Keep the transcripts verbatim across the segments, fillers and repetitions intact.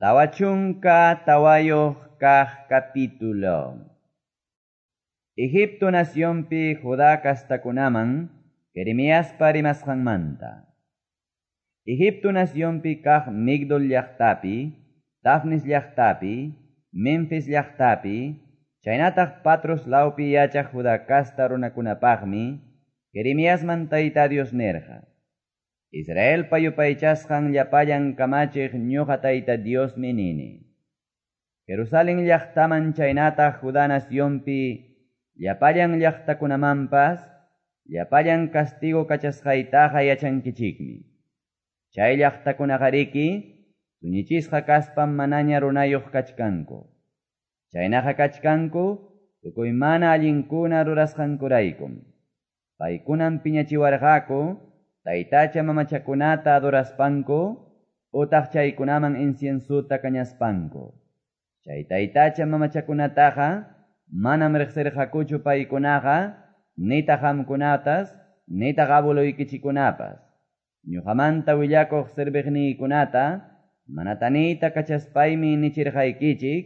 Tawa chunka tawayuq kaq capítulo. Egipto nacionpi Judá castakunaman Jeremiaspa rimasqanmanta. Egipto nacionpi kaq Migdol llaqtapi, Tafnis llaqtapi, Memphis llaqtapi, chaynataq Patros lawpi yachaq Judá casta runakunapaqmi, Jeremiasman Tayta Dios nirqa. Israelpa yupaychasqan llapallan kamachiq ñuqa Tayta Diosmi nini. Jerusalén llaqtaman chaynataq Judá nacionpi llapallan llaqtakunamanpas llapallan castigo kachasqaytaqa yachankichikmi. Chay llaqtakunaqariki tuñichisqa kaspam manaña runayuq kachkanku. Chaynaqa kachkanku tukuy mana allinkuna rurasqankuraykum. Paykunam piñachiwarqaku taytacha mamachakunata adoraspanku utaq chaykunaman inciensuta kañaspanku. Chay taytacha mamachakunataqa manam riqsirqakuchu paykunaqa nitaq qamkunatas nitaq abueluykichikunapas. Ñuqamanta willakuq serviqniykunata manataniyta kachaspaymi nichirqaykichik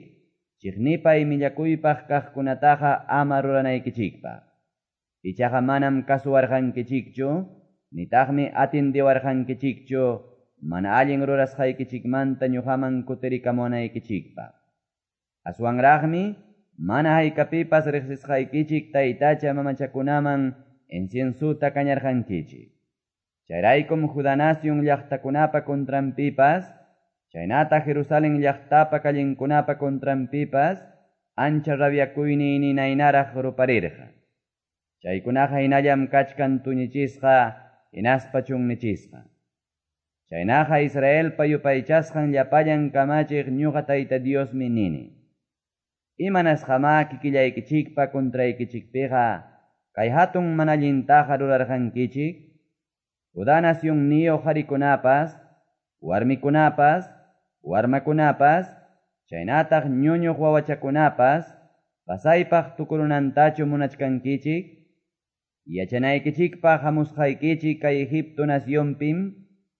chiqnipay millakuypaq kaqkunataqa ama ruranaykichikpaq. Ichaqa manam kasuwarqankichikchu nitaqmi atindiwarqankichikchu mana allin rurasqaykichikmanta ñuqaman kutirikamunaykichikpaq. Aswanraqmi mana haykapipas riqsisqaykichik taytacha mamachakunaman inciensuta kañarqankichik. Chayraykum Judá nación llaqtakunapa contranpipas, chaynata Jerusalén llaqtapa callenkunapa contranpipas, ancha rabiakuyni ninaynaraq ruparirqa. Chaykunaqa hinallam kachkan tuñichisqa hinaspa chunnichisqa. Chaynaqa Israelpa yupaychasqan llapallan kamachiq ñuqa Tayta Diosmi nini. Imanasqamá kikillaykichikpa contraykichikpiqa kay hatun mana allintaqa rurarqankichik? Judá nacionniyuq qarikunapas, warmikunapas, warmakunapas, chaynataq ñuñuq wawachakunapas, pasaypaq tukurunantachu munachkankichik? Yachanaykichikpaq hamusqaykichik kay Egipto nacionpim,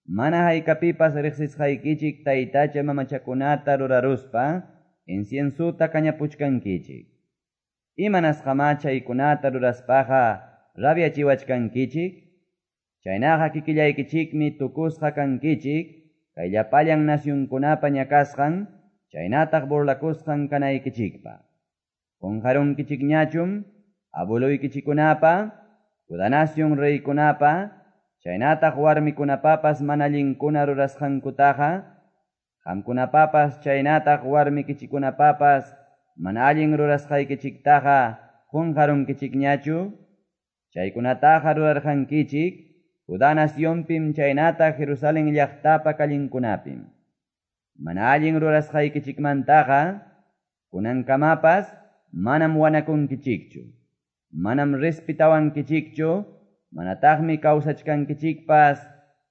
mana haykapipas riqsisqaykichik taytacha mamachakunata ruraruspa, inciensuta kañapuchkankichik. Imanasqamá chaykunata ruraspaqa rabiachiwachkankichik? Chaynaqa kikillaykichikmi tukusqa kankichik, kay llapallan nacionkunapa ñakasqan, chaynataq burlakusqan kanaykichikpa. Qunqarunkichikñachum, abueluykichikunapa, Judá nación reykunapa, chaynataq warmikunapapas mana allinkuna rurasqankutaqa, qamkunapapas chaynataq warmikichikunapapas mana allin rurasqaykichiktaqa qunqarunkichikñachu? Chaykunataqa rurarqankichik Judá nacionpim chaynataq Jerusalén llaqtapa callenkunapim. Mana allin rurasqaykichikmantaqa kunankamapas manam wanakunkichikchu. Manam respetawankichikchu, manataqmi kawsachkankichikpas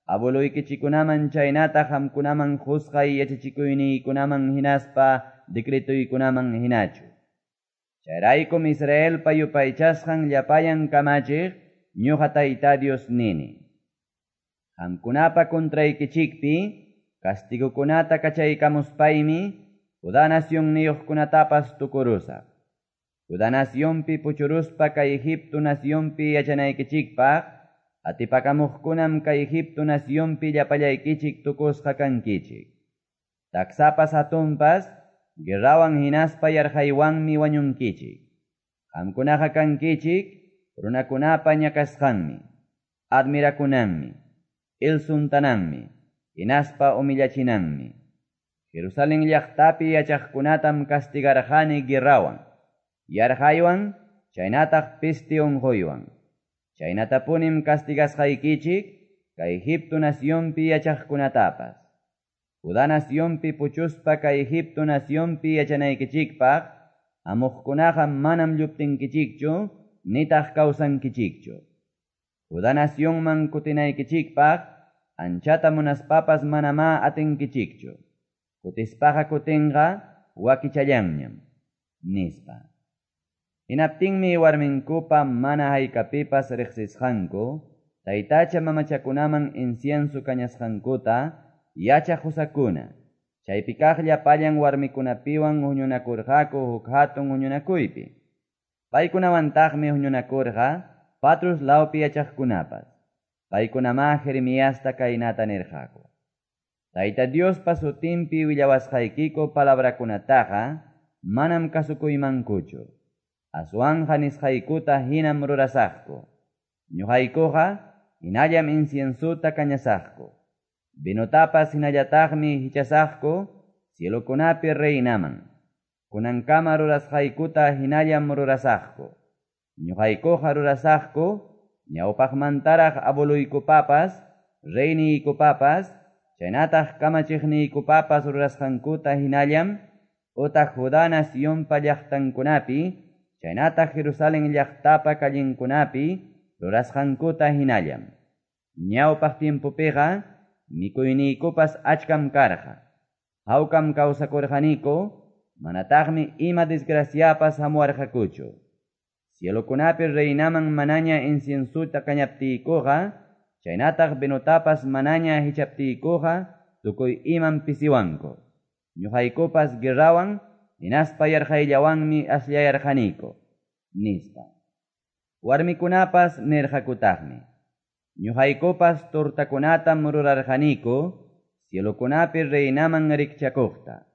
abueluykichikunaman chaynataq qamkunaman qusqay yachachikuyniykunaman hinaspa decretuykunaman hinachu. Chayraykum Israelpa yupaychasqan llapallan kamachiq ñuqa Tayta Dios nini. Qamkunapa contraykichikpi castigukunata kachaykamuspaymi Judá nacionniyuqkunatapas tukurusaq. Judá nacionpi puchuruspa kay Egipto nacionpi yachanaykichikpaq, atipakamuqkunam kay Egipto nacionpi llapallaykichik tukusqa kankichik. Taksapas hatunpas, guerrawan hinaspa yarqaywanmi wañunkichik. Qamkunaqa kankichik, runakunapa ñakasqanmi, admirakunanmi, ilsuntananmi, hinaspa humillachinanmi. Jerusalén llaqtapi yachaqkunatam castigarqani guerrawan, yarqaywan, chaynataq peste unquywan. Chaynatapunim castigasqaykichik kay Egipto nacionpi yachaqkunatapas. Judá nacionpi puchuspa kay Egipto nacionpi yachanaykichikpaq, amuqkunaqa manam lluptinkichikchu, nitaq kawsankichikchu. Judá nacionman kutinaykichikpaq, anchata munaspapas manamá atinkichikchu. Kutispaqa kutinqa wakichallanñam, nispa. Hinaptinmi warminkupa mana haykapipas riqsisqanku, taytacha mamachakunaman incienso kañasqankuta yachaq qusakuna, chaypi kaq llapallan warmikunapiwan huñunakurqaku huk hatun huñunakuypi. Paykunawantaqmi huñunakurqa Patrus lawpi yachaqkunapas. Paykunamá Jeremiasta kaynata nirqaku, Tayta Diospa sutinpi willawasqaykiku palabrakunataqa manam kasukuymankuchu, aswanqa nisqaykuta hinam rurasaqku. Ñoqaykuqa hinallam inciensota kañasaqku, vinotapas hinallataqmi hichasaqku cielokunapi reinaman. Kunankama rurasqaykuta hinallam rurasaqku. Ñoqaykuqa rurasaqku ñawpaqmantaraq abueloykupapas, reyniykupapas, chaynataq kamachiqniykupapas rurasqankuta hinallam, utaq Judá nacionpa llaqtankunapi, chaynataq Jerusalén llaqtapa callenkunapi rurasqankuta hinallam. Ñawpaq tiempopiqa mikuyniykupas achkam karqa. Hawkam kawsakurqaniku, manataqmi ima desgraciapas hamuwarqakuchu. Cielokunapi reinaman manaña inciensuta kañaptiykuqa, chaynataq vinotapas manaña hichaptiykuqa, tukuy imam pisiwanku. Ñuqaykupas guerrawan, hinaspa yarqayllawanmi asllayarqaniku, nispa. Warmikunapas nirqakutaqmi. Ñuqaykupas tortakunatam rurarqaniku, cielokunapi reinaman rikchakuqta.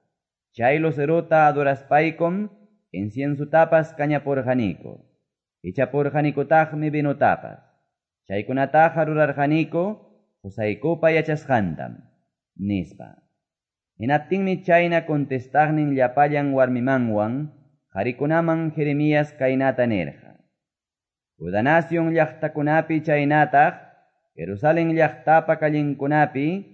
Chay lucerota adoraspaykum, inciensutapas kañapurqaniku. Hichapurqanikutaqmi vinotapas. Chaykunataqa rurarqaniku, qusaykupa yachasqantam, nispa. Hinaptinmi chayna contestaqnin llapallan warmimanwan, qarikunaman Jeremías kaynata nirqa. Judá nación llaqtakunapi chaynataq, Jerusalén llaqtapa callenkunapi,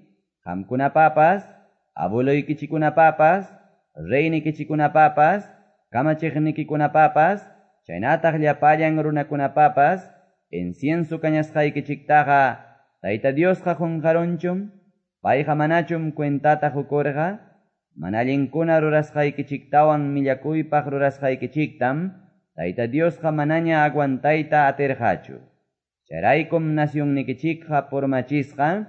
qamkunapapas, abueloykichikunapapas, reynikichikunapapas, kamachiqnikikunapapas, chaynataq llapallan runakunapapas, incienso kañasqaykichiktaqa Tayta Diosqa qunqarunchum, payqa manachum cuentata qukurqa, mana allinkuna rurasqaykichiktawan millakuypaq rurasqaykichiktam, Tayta Diosqa manaña aguantayta atirqachu. Chayraykum nacionnikichikqa purmachisqa,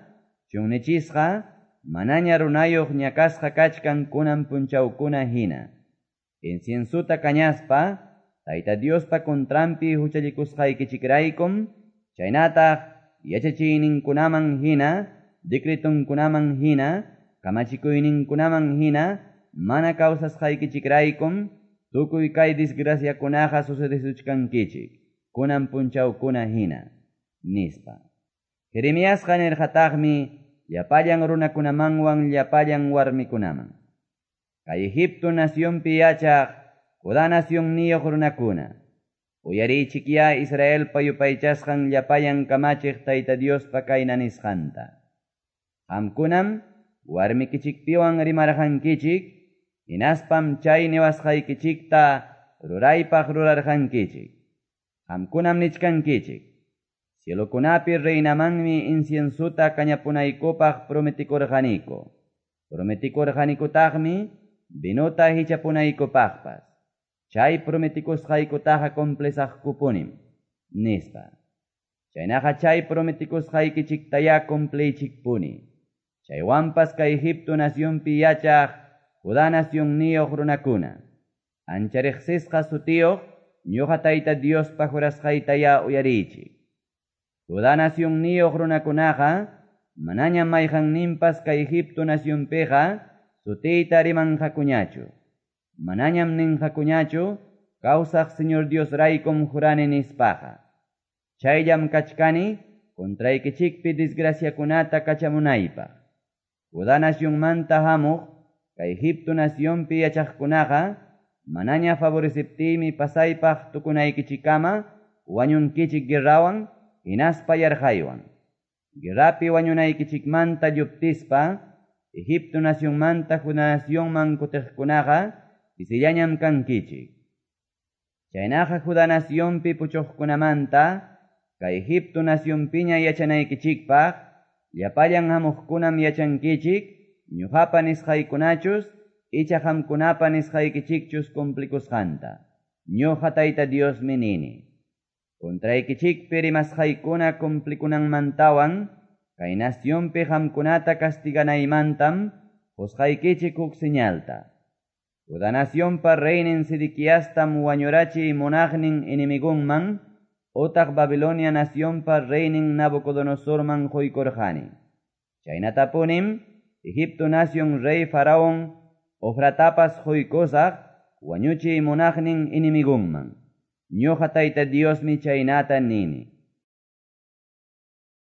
chunnichisqa, manaña runayuq ñakasqa kachkan kunan punchawkuna hina. Inciensuta kañaspa, Tayta Diospa contranpi huchallikusqaykichikraykum, chaynataq yachachiyninkunaman hina, decretonkunaman hina, kamachikuyninkunaman hina, mana kawsasqaykichikraykum, tukuy kay desgraciakunaqa sucedesuchkankichik, kunan punchawkuna hina, nispa. Jeremiasqa nirqataqmi llapallan runakunamanwan llapallan warmikunaman. Kay Egipto nacionpi yachaq, Judá nacionniyuq runakuna, uyariychikyá Israelpa yupaychasqan llapallan kamachiq Tayta Diospa kayna nisqanta. Qamkunam warmikichikpiwan rimarqankichik, hinaspam chay niwasqaykichikta ruraypaq rurarqankichik. Qamkunam nichkankichik, cielokunapi reinamanmi inciensuta kañapunaykupaq prometikurqaniku. Prometikurqanikutaqmi vinota hichapunaykupaqpas. Chay prometikusqaykutaqa cumplisaqkupunim, nispa. Chaynaqa chay prometikusqaykichiktayá cumpliychikpuni. Chaywanpas kay Egipto nacionpi yachaq Judá nacionniyuq runakuna, ancha riqsisqa sutiyuq ñuqa Tayta Diospa jurasqaytayá uyariychik. Judá nacionniyuq runakunaqa manañam mayqanninpas kay Egipto nacionpiqa sutiyta rimanqakuñachu. Manañam ninqakuñachu kawsaq Señor Dios raykum jurani nispaqa. Chayllam kachkani contraykichikpi desgraciakunata kachamunaypaq. Judá nacionmanta hamuq kay Egipto nacionpi yachaqkunaqa manaña favoreceptiymi pasaypaq tukunaykichikama wañunkichik guerrawan hinaspa yarqaywan. Guerrapi wañunaykichikmanta lluptispa Egipto nacionmanta Judá nacionman kutiqkunaqa pisillañam kankichik. Chaynaqa Judá nacionpi puchuqkunamanta kay Egipto nacionpiña yachanaykichikpaq llapallan hamuqkunam yachankichik ñuqapa nisqaykunachus icha qamkunapa nisqaykichikchus cumplikusqanta. Ñuqa Tayta Diosmi nini. Contraykichikpi rimasqaykuna cumplikunanmantawan kay nacionpi qamkunata castiganaymantam qosqaykichik huk señalta. Juda nacionpa reynin Sedequiastam wañurachiy munaqnin enemigonman otaq Babilonia nacionpa reynin Nabucodonosorman qoykurqani. Chaynatapunim Egipto nacion rey Faraon Hofratapas qoykusaq wañuchiy munaqnin enemigonman. Ñoqa Tayta Diosmi chaynata nini.